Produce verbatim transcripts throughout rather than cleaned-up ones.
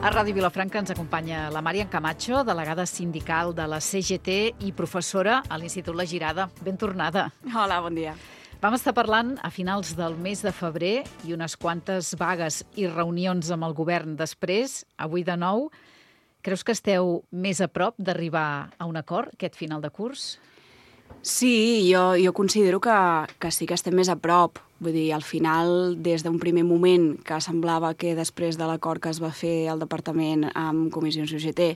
A Ràdio Vilafranca ens acompanya la Màriam Camacho, delegada sindical de la C G T i professora a l'Institut La Girada. Ben tornada. Hola, bon dia. Vam estar parlant a finals del mes de febrer i unes quantes vagues i reunions amb el govern després. Avui de nou, creus que esteu més a prop d'arribar a un acord aquest final de curs? Sí, jo, jo considero que, que sí que estem més a prop. Vull dir, al final, des d'un primer moment que semblava que després de l'acord que es va fer al departament amb comissions U G T,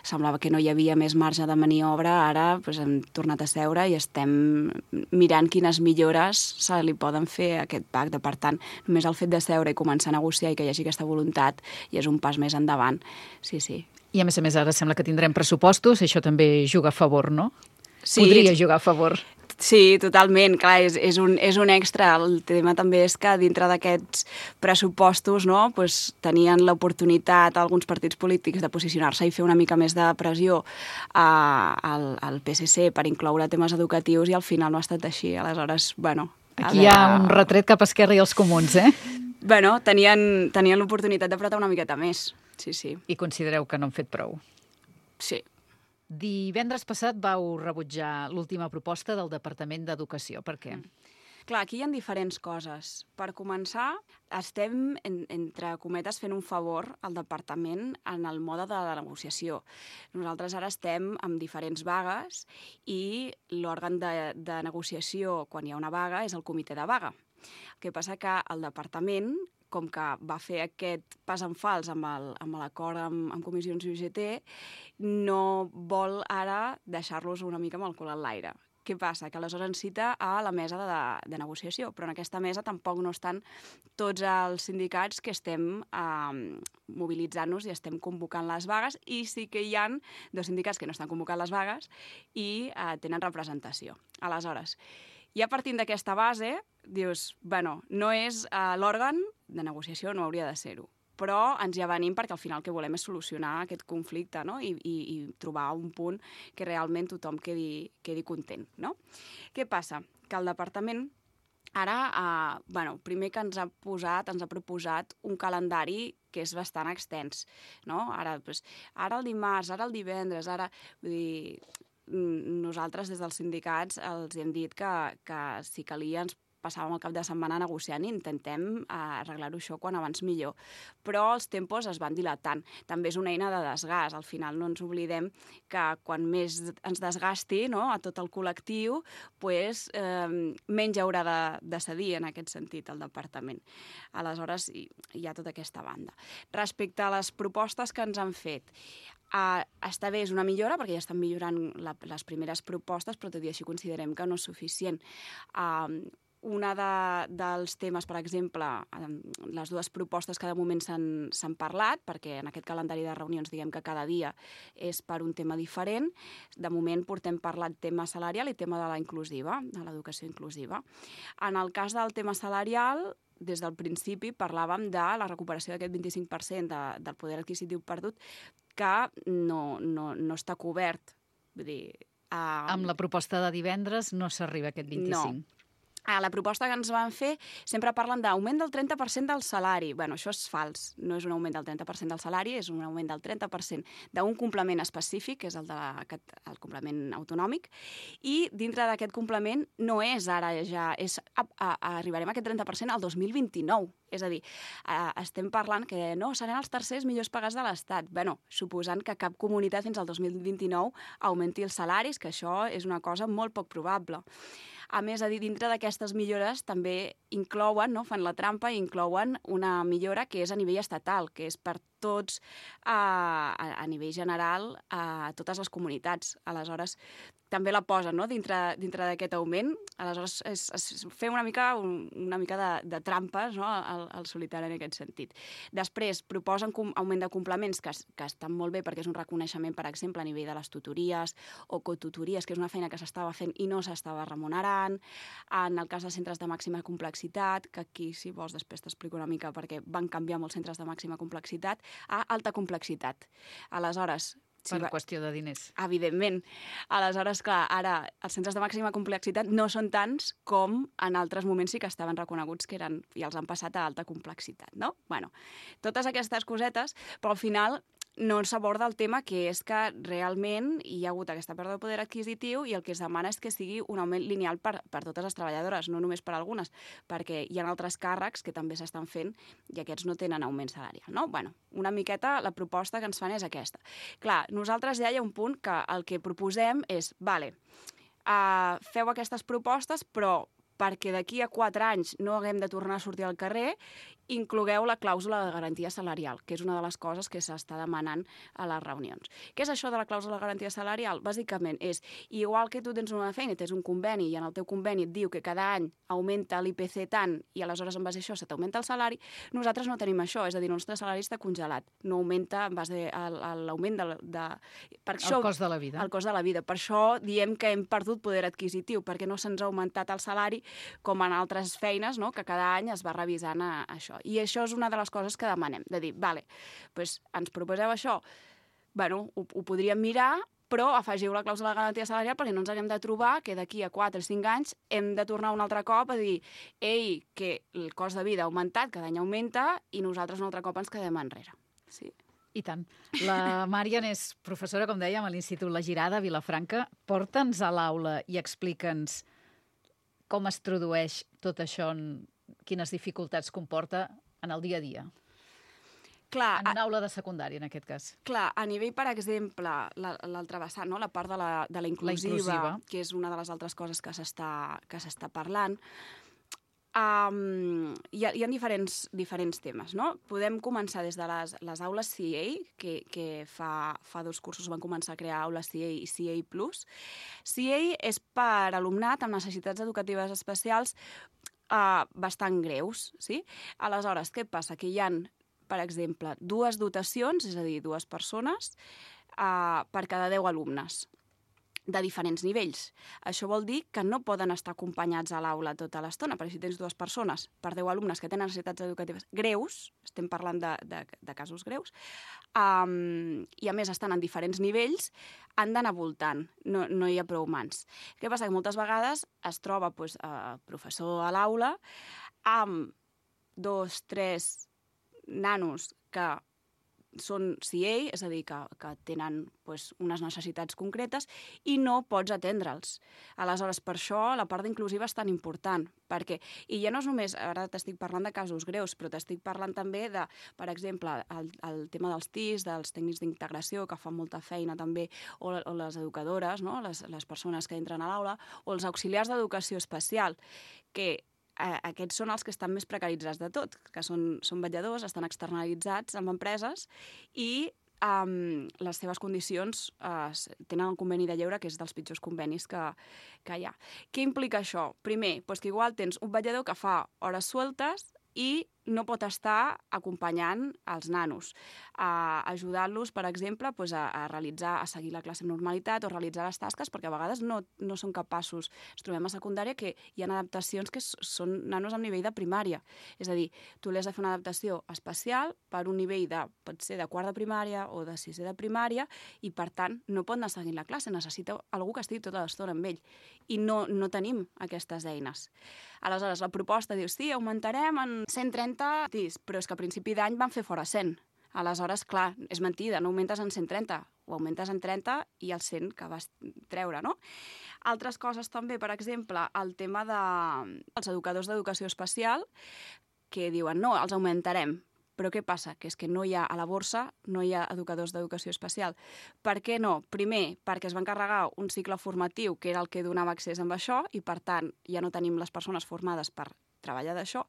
semblava que no hi havia més marge de maniobra, ara doncs, hem tornat a seure i estem mirant quines millores se li poden fer a aquest pacte. Per tant, només el fet de seure i començar a negociar i que hi hagi aquesta voluntat ja és un pas més endavant. Sí, sí. I a més a més ara sembla que tindrem pressupostos, això també juga a favor, no? Sí, podria jugar a favor. Sí, totalment. Clar, és, és, un, és un extra. El tema també és que dintre d'aquests pressupostos, no, pues, tenien l'oportunitat alguns partits polítics de posicionar-se i fer una mica més de pressió a, al, al P S C per incloure temes educatius i al final no ha estat així. Aleshores, bueno... Aquí hi ha un retret cap a Esquerra i els comuns, eh? Bueno, tenien, tenien l'oportunitat d'apretar una miqueta més. Sí, sí. I considereu que no han fet prou? Sí. Divendres passat vau rebutjar l'última proposta del Departament d'Educació. Per què? Mm. Clar, aquí hi ha diferents coses. Per començar, estem, en, entre cometes, fent un favor al departament en el mode de la negociació. Nosaltres ara estem amb diferents vagues i l'òrgan de, de negociació, quan hi ha una vaga, és el comitè de vaga. El que passa que el departament, com que va fer aquest pas en fals amb l'acord amb, amb comissions U G T, no vol ara deixar-los una mica amb el cul enlaire. Què passa? Que aleshores ens cita a la mesa de, de negociació, però en aquesta mesa tampoc no estan tots els sindicats que estem eh, mobilitzant-nos i estem convocant les vagues, i sí que hi ha dos sindicats que no estan convocant les vagues i eh, tenen representació. Aleshores, ja partint d'aquesta base, dius, bueno, no és uh, l'òrgan de negociació, no hauria de ser-ho, però ens hi avenim perquè al final el que volem és solucionar aquest conflicte, no? I, i, i trobar un punt que realment tothom quedi, quedi content, no? Què passa? Que el departament ara, uh, bueno, primer que ens ha posat, ens ha proposat un calendari que és bastant extens, no? Ara, doncs, ara el dimarts, ara el divendres, ara... Vull dir, nosaltres des dels sindicats els hem dit que, que si calia ens passàvem el cap de setmana negociant i intentem eh, arreglar-ho això quan abans millor. Però els tempos es van dilatant. També és una eina de desgast. Al final no ens oblidem que quan més ens desgasti, no, a tot el col·lectiu, pues, eh, menys haurà de, de cedir en aquest sentit el departament. Aleshores hi, hi ha tota aquesta banda. Respecte a les propostes que ens han fet, Uh, està bé, és una millora, perquè ja estan millorant la, les primeres propostes, però tot i així considerem que no és suficient. Uh, una de, dels temes, per exemple, um, les dues propostes que de moment s'han parlat, perquè en aquest calendari de reunions diguem que cada dia és per un tema diferent. De moment portem parlat tema salarial i tema de la inclusiva, de l'educació inclusiva. En el cas del tema salarial, des del principi parlàvem de la recuperació d'aquest vint-i-cinc per cent de, del poder adquisitiu perdut, que no, no, no està cobert. Vull dir, uh... amb la proposta de divendres no s'arriba a aquest vint-i-cinc. No. A la proposta que ens van fer sempre parlen d'augment del trenta per cent del salari. Bueno, això és fals. No és un augment del trenta per cent del salari, és un augment del trenta per cent d'un complement específic, que és el, de la, el complement autonòmic, i dintre d'aquest complement no és ara ja, és, a, a, a, arribarem a aquest trenta per cent al dos mil vint-i-nou. És a dir, eh, estem parlant que no, seran els tercers millors pagats de l'Estat. Bueno, suposant que cap comunitat fins al dos mil vint-i-nou augmenti els salaris, que això és una cosa molt poc probable. A més, a dir, dintre d'aquestes millores també inclouen, no, fan la trampa i inclouen una millora que és a nivell estatal, que és per tots, a, a, a nivell general, a totes les comunitats. Aleshores, també la posen, no, dintre, dintre d'aquest augment. Aleshores, és, és fer una mica, un, una mica de, de trampes, no, al, al solitari en aquest sentit. Després, proposen com, augment de complements, que, que estan molt bé perquè és un reconeixement, per exemple, a nivell de les tutories o cotutories, que és una feina que s'estava fent i no s'estava remunerant. En el cas de centres de màxima complexitat, que aquí, si vols, després t'explico una mica perquè van canviar molts centres de màxima complexitat, a alta complexitat. Aleshores, per sí, qüestió de diners. Evidentment. Aleshores, clar, ara els centres de màxima complexitat no són tants com en altres moments sí que estaven reconeguts que eren, i els han passat a alta complexitat, no? Bueno, totes aquestes cosetes, però al final no s'aborda el tema, que és que realment hi ha hagut aquesta pèrdua de poder adquisitiu i el que es demana és que sigui un augment lineal per, per totes les treballadores, no només per algunes, perquè hi ha altres càrrecs que també s'estan fent i aquests no tenen augment salarial, no? Bueno, una miqueta la proposta que ens fan és aquesta. Clar, nosaltres ja hi ha un punt que el que proposem és, vale, uh, feu aquestes propostes, però perquè d'aquí a quatre anys no haguem de tornar a sortir al carrer, inclogueu la clàusula de garantia salarial, que és una de les coses que s'està demanant a les reunions. Què és això de la clàusula de garantia salarial? Bàsicament és, igual que tu tens una feina i tens un conveni i en el teu conveni et diu que cada any augmenta l'I P C tant i aleshores en base a això se t'augmenta el salari, nosaltres no tenim això, és a dir, el nostre salari està congelat, no augmenta en base a l'augment de... de... Per això, el cost de la vida. El cost de la vida. Per això diem que hem perdut poder adquisitiu, perquè no se'ns ha augmentat el salari com en altres feines, no?, que cada any es va revisant a, a això. I això és una de les coses que demanem, de dir, vale, doncs ens proposeu això, bueno, ho, ho podríem mirar, però afegiu la clàusula de garantia salarial perquè no ens haguem de trobar que d'aquí a quatre o cinc anys hem de tornar un altre cop a dir, ei, que el cost de vida ha augmentat, cada any augmenta, i nosaltres un altre cop ens quedem enrere. Sí. I tant. La Marian és professora, com dèiem, a l'Institut La Girada, a Vilafranca. Porta'ns a l'aula i explica'ns com es tradueix tot això, en quines dificultats comporta en el dia a dia. Clar, en una aula de secundària, en aquest cas. Clar, a nivell, per exemple, l'altra vessant, no? La part de la, de la inclusiva, la inclusiva, que és una de les altres coses que s'està que s'està parlant, Um, hi ha, hi ha diferents, diferents temes, no? Podem començar des de les, les aules C A, que, que fa, fa dos cursos van començar a crear aules C A i C A plus. C A és per alumnat amb necessitats educatives especials uh, bastant greus, sí? Aleshores, què passa? Que hi ha, per exemple, dues dotacions, és a dir, dues persones, uh, per cada deu alumnes, de diferents nivells. Això vol dir que no poden estar acompanyats a l'aula tota l'estona, perquè si tens dues persones per deu alumnes que tenen necessitats educatives greus, estem parlant de, de, de casos greus, um, i a més estan en diferents nivells, han d'anar voltant, no, no hi ha prou mans. Què passa? Que moltes vegades es troba pues, el professor a l'aula amb dos, tres nanos que són C A, és a dir, que, que tenen pues, unes necessitats concretes i no pots atendre'ls. Aleshores, per això la part inclusiva és tan important, perquè, i ja no és només, ara t'estic parlant de casos greus, però t'estic parlant també de, per exemple, el, el tema dels T I S, dels tècnics d'integració, que fan molta feina també, o, o les educadores, no? les, les persones que entren a l'aula, o els auxiliars d'educació especial, que Eh, aquests són els que estan més precaritzats de tot, que són, són vetlladors, estan externalitzats amb empreses i um, les seves condicions eh, tenen el conveni de lleure, que és dels pitjors convenis que, que hi ha. Què implica això? Primer, doncs que igual tens un vetllador que fa hores sueltes i no pot estar acompanyant els nanos, a ajudar-los, per exemple, doncs a, a realitzar, a seguir la classe amb normalitat o realitzar les tasques, perquè a vegades no, no són capaços. Ens trobem a secundària que hi ha adaptacions que són nanos amb nivell de primària. És a dir, tu li has de fer una adaptació especial per un nivell de, pot ser de quart de primària o de sisè de primària, i per tant no pot anar seguint la classe, necessita algú que estigui tota l'estona amb ell. I no, no tenim aquestes eines. Aleshores, la proposta diu, sí, augmentarem en cent trenta T I S, però és que a principi d'any van fer fora cent. Aleshores, clar, és mentida, no augmentes en cent trenta, ho augmentes en trenta i el cent que vas treure, no? Altres coses també, per exemple, el tema dels educadors d'educació especial, que diuen, no, els augmentarem. Però què passa? Que és que no hi ha, a la borsa no hi ha educadors d'educació especial. Per què no? Primer, perquè es va encarregar un cicle formatiu que era el que donava accés amb això i, per tant, ja no tenim les persones formades per treballar d'això.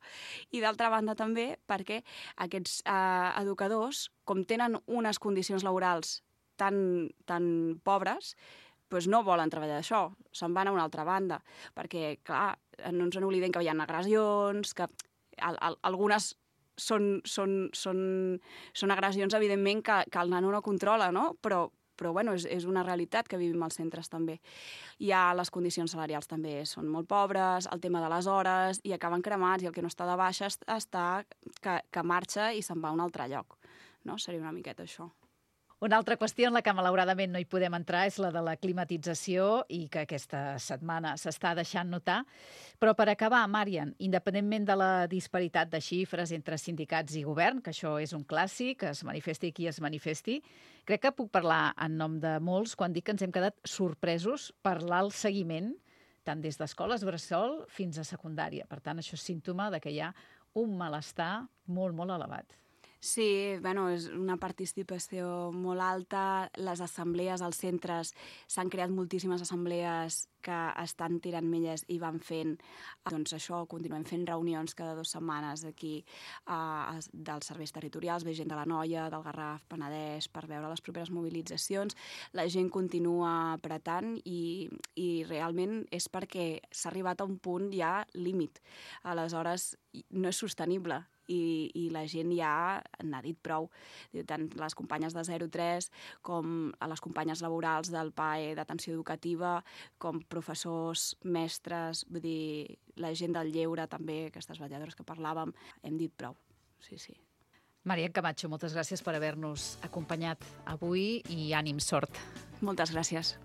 I, d'altra banda, també perquè aquests eh, educadors, com tenen unes condicions laborals tan, tan pobres, doncs no volen treballar d'això, se'n van a una altra banda. Perquè, clar, no ens n'oblidem que hi ha agressions, que al, al, algunes Són, són, són, són agressions, evidentment, que, que el nano no controla, no? Però, però bueno, és, és una realitat que vivim als centres també. Hi ha les condicions salarials també són molt pobres, el tema de les hores, i acaben cremats, i el que no està de baixa està que, que marxa i se'n va a un altre lloc. No? Seria una miqueta això. Una altra qüestió en la que malauradament no hi podem entrar és la de la climatització i que aquesta setmana s'està deixant notar. Però per acabar, Marian, independentment de la disparitat de xifres entre sindicats i govern, que això és un clàssic, es manifesti qui es manifesti, crec que puc parlar en nom de molts quan dic que ens hem quedat sorpresos per l'alt seguiment, tant des d'escoles bressol fins a secundària. Per tant, això és símptoma de que hi ha un malestar molt, molt elevat. Sí, bueno, és una participació molt alta. Les assemblees als centres, s'han creat moltíssimes assemblees que estan tirant milles i van fent, doncs això, continuem fent reunions cada dues setmanes aquí eh, dels serveis territorials, ve gent de l'Anoia, del Garraf, Penedès, per veure les properes mobilitzacions. La gent continua apretant i, i realment és perquè s'ha arribat a un punt ja límit. Aleshores, no és sostenible. I, i la gent ja n'ha dit prou. Tant les companyes de zero tres com a les companyes laborals del P A E d'atenció educativa, com professors, mestres, vull dir, la gent del lleure també, aquestes vetlladores que parlàvem, hem dit prou. Sí, sí. Marian Camacho, moltes gràcies per haver-nos acompanyat avui i ànim, sort. Moltes gràcies.